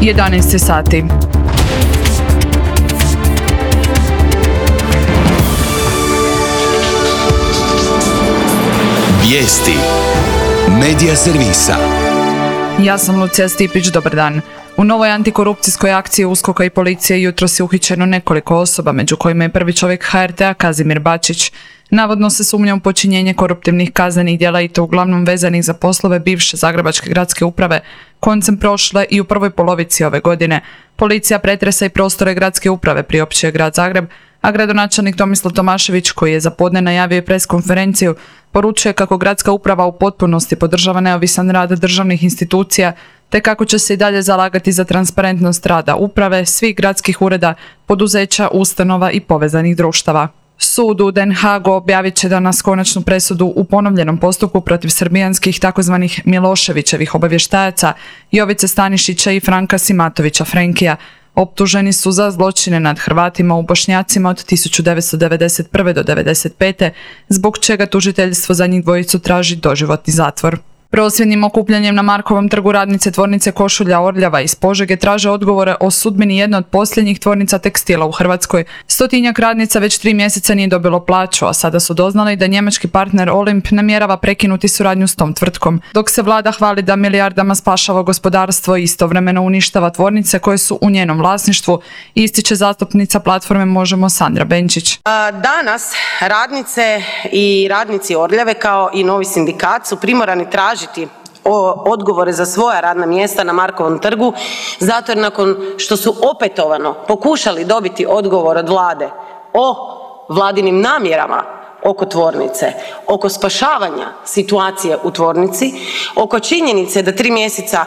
11 sati. Vijesti Medija servisa. Ja sam Lucija Stipić, dobar dan. U novoj antikorupcijskoj akciji USKOK-a i policije jutros je uhićeno nekoliko osoba, među kojima je prvi čovjek HRT-a Kazimir Bačić. Navodno se sumnja u počinjenje koruptivnih kaznenih djela i to uglavnom vezanih za poslove bivše Zagrebačke gradske uprave koncem prošle i u prvoj polovici ove godine. Policija pretresa i prostore gradske uprave, priopćio Grad Zagreb, a gradonačelnik Tomislav Tomašević, koji je za podne najavio preskonferenciju, poručuje kako gradska uprava u potpunosti podržava neovisan rad državnih institucija, te kako će se i dalje zalagati za transparentnost rada uprave, svih gradskih ureda, poduzeća, ustanova i povezanih društava. Sud u Den Haagu objavit će danas konačnu presudu u ponovljenom postupku protiv srbijanskih takozvanih Miloševićevih obavještajaca Jovice Stanišića i Franka Simatovića Frenkija. Optuženi su za zločine nad Hrvatima u Bošnjacima od 1991. do 1995. zbog čega tužiteljstvo za njih dvojicu traži doživotni zatvor. Prosvjednim okupljanjem na Markovom trgu radnice tvornice košulja Orljava iz Požege traže odgovore o sudbini jedne od posljednjih tvornica tekstila u Hrvatskoj. 100-tinjak radnica već 3 mjeseca nije dobilo plaću, a sada su doznali da njemački partner Olimp namjerava prekinuti suradnju s tom tvrtkom. Dok se vlada hvali da milijardama spašava gospodarstvo i istovremeno uništava tvornice koje su u njenom vlasništvu, ističe zastupnica platforme Možemo Sandra Benčić. Danas radnice i radnici Orljave kao i novi sindikat su primorani tražiti odgovore za svoja radna mjesta na Markovom trgu, zato jer nakon što su opetovano pokušali dobiti odgovor od vlade o vladinim namjerama oko tvornice, oko spašavanja situacije u tvornici, oko činjenice da 3 mjeseca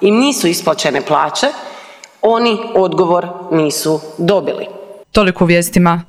im nisu isplaćene plaće, oni odgovor nisu dobili. Toliko u vijestima.